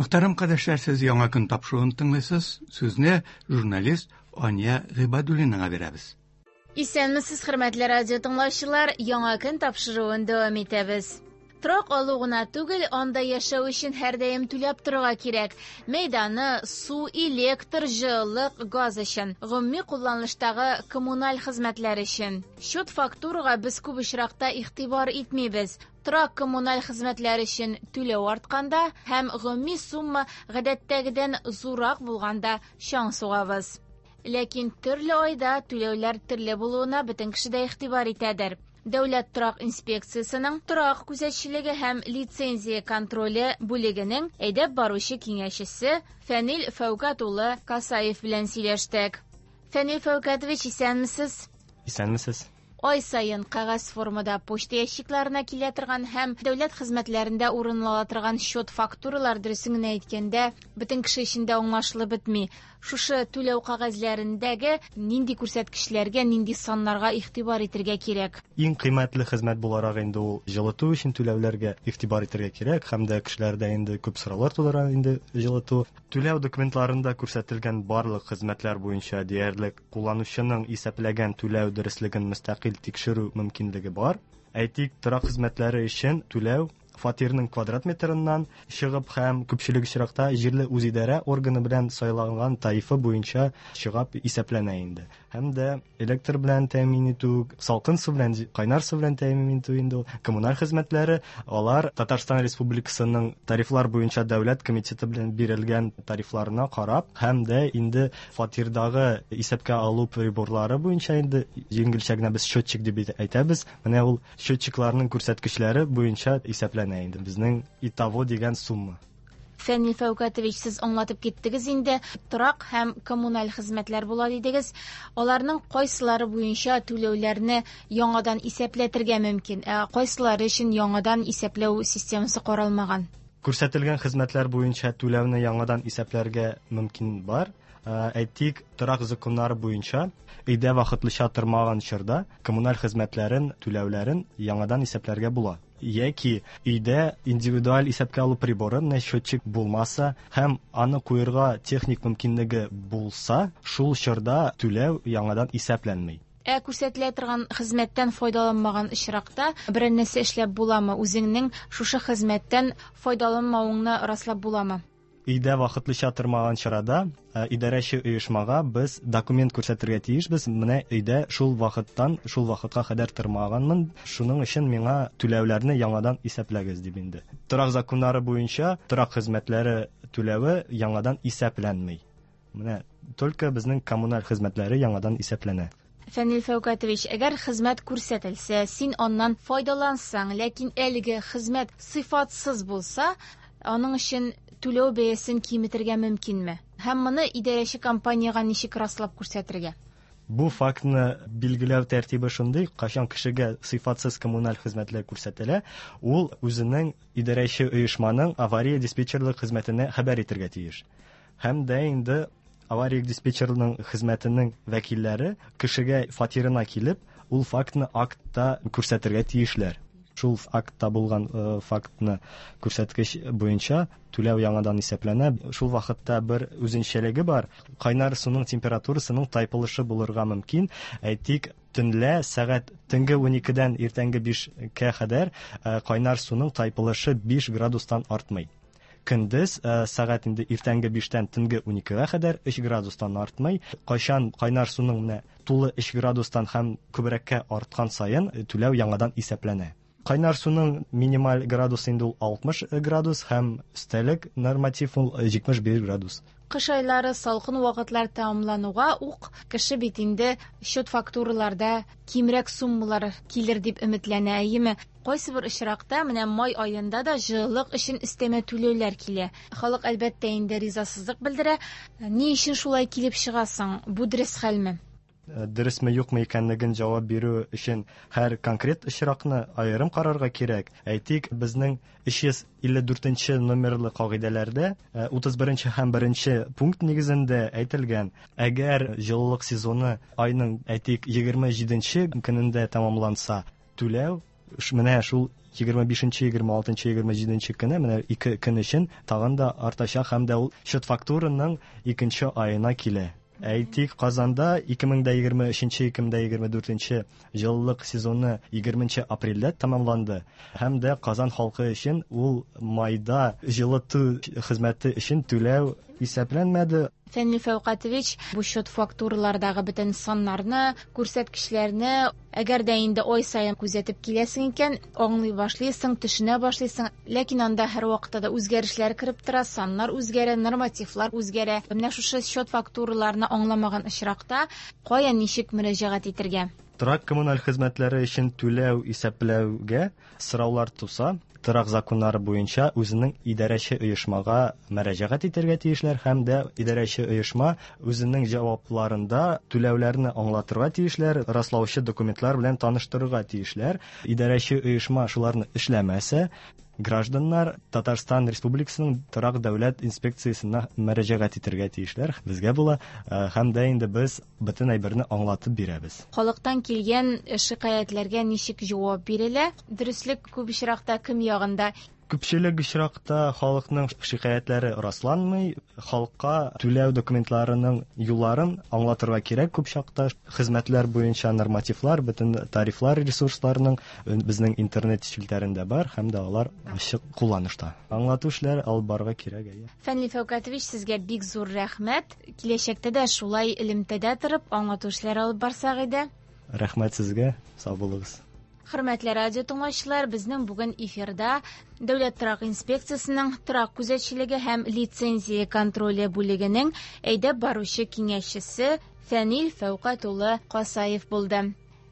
Мөхтәрәм кардәшләр, сез Яңа көн тапшыруын тыңлыйсыз. Сүзне журналист Ания Гыйбадуллинага бирәбез. Исәнмесез, хөрмәтле радио тыңлаучылар, Яңа көн тапшыруын дәвам итәбез. Торак алу гына түгел, анда яшәү өчен һәрдаим түләп торырга кирәк. Мәйданы, су, электр, җылылык, газ өчен, гомуми кулланыштагы коммуналь хезмәтләр өчен. Счет-фактурага без күп очракта игътибар итмибез. Торак-коммуналь хезмәтләр өчен түләү артканда һәм гомуми сумма гадәттәгедән зуррак булганда чаң сугабыз. Ләкин төрле айда түләүләр төрле булуына бөтен кеше дә игътибар итәдер. Дәүләт торак инспекциясенең торак күзәтчелеге һәм лицензия контроле бүлегенең әйдәп баручы киңәшчесе Фәнил Фәүкәт улы Касаев белән сөйләштек. Фәнил Фәүкәтович, исәнмесез? Исәнмесез. Ай саен кәгазь формада почта ящикларына килә торган һәм дәүләт хезмәтләрендә урын ала торган счет-фактуралар, дөресен генә әйткәндә, бөтен кеше өчен дә аңлашылып бетми. Шушы түләү кәгазьләрендәге нинди күрсәткечләргә, нинди саннарга игътибар итергә кирәк? Иң кыйммәтле хезмәт буларак инде ул җылыту өчен түләүләргә игътибар итергә кирәк һәм дә кешеләрдә инде күп сораулар тудыра инде җылыту. Түләү документларында күрсәтелгән барлык хезмәтләр буенча диярлек Кулланучының исәпләгән түләү дөреслеген мөстәкыйль тикшерү мөмкинлеге бар. Әйтик, торак хезмәтләре өчен түләү фатирның квадрат метрыннан чыгып һәм күпчелек очракта җирле үзидарә органы белән сайланган тарифы буенча чыгап исәпләнә инде. Һәм дә электр белән тәэмин итү, салкын су белән, кайнар су белән тәэмин итү инде ул, коммуналь хезмәтләре, алар Татарстан Республикасының тарифлар буенча дәүләт комитеты белән бирелгән тарифларына карап һәм дә инде фатирдагы исәпкә алу приборлары буенча инде җиңелчә генә без счетчик дип әйтәбез. Менә ул счетчикларның күрсәткечләре буенча исәпләнә инде безнең итого дигән сумма. Фәнил Фәүкәтович, сез аңлатып киттегез инде, торак һәм коммуналь хезмәтләр була дидегез. Аларның кайсылары буенча түләүләрне яңадан исәпләтергә мөмкин, ә кайсылары өчен яңадан исәпләү системасы каралмаган? Күрсәтелгән хезмәтләр буенча түләүне яңадан исәпләргә мөмкин бар. Әйтик, торак законнары буенча өйдә вакытлыча тормаган чорда коммуналь хезмәтләрен түләүләрен яңадан исәпләргә була. Яки өйдә индивидуаль исәпкә алу приборы, менә счетчик булмаса һәм аны куерга техник мөмкинлеге булса, шул чорда түләү яңадан исәпләнми. Ә күрсәтелә торган хезмәттән файдаланмаган очракта берәр нәрсә эшләп буламы? Үзеңнең шушы хезмәттән файдаланмавыңны раслап буламы? Өйдә вакытлыча тормаган чарада идарәче оешмага без документ күрсәтергә тиешбез. Менә өйдә шул вакыттан шул вакытка кадәр тормаганмын, шуның өчен миңа түләүләрне яңадан исәпләгез дип инде. Торак законнары буенча торак хезмәтләре түләве яңадан исәпләнми. Менә только безнең коммуналь хезмәтләре яңадан исәпләнә. Фәнил Фәүкәтович, әгәр хезмәт күрсәтелсә, син аннан файдалансаң, ләкин әлеге хезмәт сыйфатсыз булса, аның өчен түләү бәясен киметергә мөмкинме? Һәм моны идарәче компаниягә ничек раслап күрсәтергә? Бу фактны билгеләү тәртибе шундый, кайчан кешегә сыйфатсыз коммуналь хезмәтләр күрсәтелә, ул үзенең идарәче оешманың авария-диспетчерлык хезмәтенә хәбәр итергә тиеш. Һәм дә инде авария диспетчерының хезмәтенең вәкилләре кешегә фатирына килеп, ул фактны актта күрсәтергә тиешләр. Шул актта булган э, фактны күрсәткеч буенча түләү яңадан исәпләнә. Шул вакытта бер үзенчәлеге бар. Кайнар суның температурасының тайпылышы булырга мөмкин. Әйтик, төнлә сәгать төнге 12-дән иртәнге 5-кә кадәр э, кайнар суның тайпылышы 5 градустан артмый. Көндез сәгать инде иртәнге биштән төнге уникегә кадәр өч градустан артмый. Кайчан кайнар суның менә тулы өч градустан һәм күбрәккә арткан саен түләү яңадан исәпләнә. Кайнар суның минималь градусы инде ул 60 градус һәм өстәлек норматив ул 75 градус. Кыш айлары салкын вакытлар тәмамлануга ук кеше бит инде счет-фактураларда кимрәк суммалар килер дип өметләнә, әйеме? Кайсыбер очракта менә май аенда да җылылык өчен өстәмә түләүләр килә. Халык, әлбәттә инде, ризасызлык белдерә. Ни өчен шулай килеп чыга соң? Бу дөрес хәлме? Дөресме, юкмы икәнлеген җавап бирү өчен һәр конкрет очракны аерым карарга кирәк. Әйтик, безнең 354 нче номерлы кагыйдәләрдә 31 нче һәм 1 нче пункт нигезендә әйтелгән, әгәр җылылык сезоны айның, әйтик, 27 нче көнендә тәмамланса, түләү менә шул 25, 26, 27 көне, менә 2 көн өчен тагын да артачак һәм дә ул счет-фактураның икенче аена килә. Әйтик, Казанда 2023-2024 җылылык сезоны 20 апрельдә тәмамланды. Һәм дә Казан халкы өчен ул майда җылыту хезмәте өчен түләү исәпләнмәде. Фәнил Фәүкатович, бу счет-фактуралардагы бөтен саннарны, күрсәткечләрне, әгәр дә инде ай саен күзәтеп киләсең икән, аңлый башлыйсың, төшенә башлыйсың. Ләкин анда һәрвакытта да үзгәрешләр кереп тора, саннар үзгәрә, нормативлар үзгәрә. Менә шушы счет-фактураларны аңламаган очракта кая ничек мөрәҗәгать итәргә? Торак коммуналь хезмәтләре өчен түләү исәпләүгә сораулар туса, торак законнары буенча үзенең идарәче оешмага мөрәҗәгать итәргә тиешләр һәм дә идарәче оешма үзенең җавапларында түләүләрне аңлатырга тиешләр, раслаучы документлар белән таныштырырга тиешләр. Идарәче оешма шуларны эшләмәсә, гражданнар Татарстан Республикасының торак дәүләт инспекциясенә мөрәҗәгать итәргә тиешләр. Безгә була, һәм дә инде без бөтен әйберне аңлатып бирәбез. Халыктан килгән шикаятьләргә ничек җавап бирелә? Дөреслек күп очракта кем ягында? Күпчелек очракта халыкның шикаятьләре расланмый. Халыкка түләү документларының юлларын аңлатырга кирәк күп чакта. Хезмәтләр буенча нормативлар, бөтен тарифлар ресурсларының безнең интернет челтәрендә бар һәм дә алар ачык кулланышта. Аңлату эшләре алып барырга кирәк, әйе. Фәнил Фәүкатович, сезгә бик зур рәхмәт. Киләчәктә дә шулай элемтәдә торып, аңлату эшләре алып барсак иде. Рәхмәт сезгә, сау булыгыз. Хөрмәтле радио тыңлаучылар, безнең бүген эфирда Дәүләт торак инспекциясенең торак күзәтчелеге һәм лицензия контроле бүлегенең әйдәп баручы киңәшчесе Фәнил Фәүкать улы Касаев булды.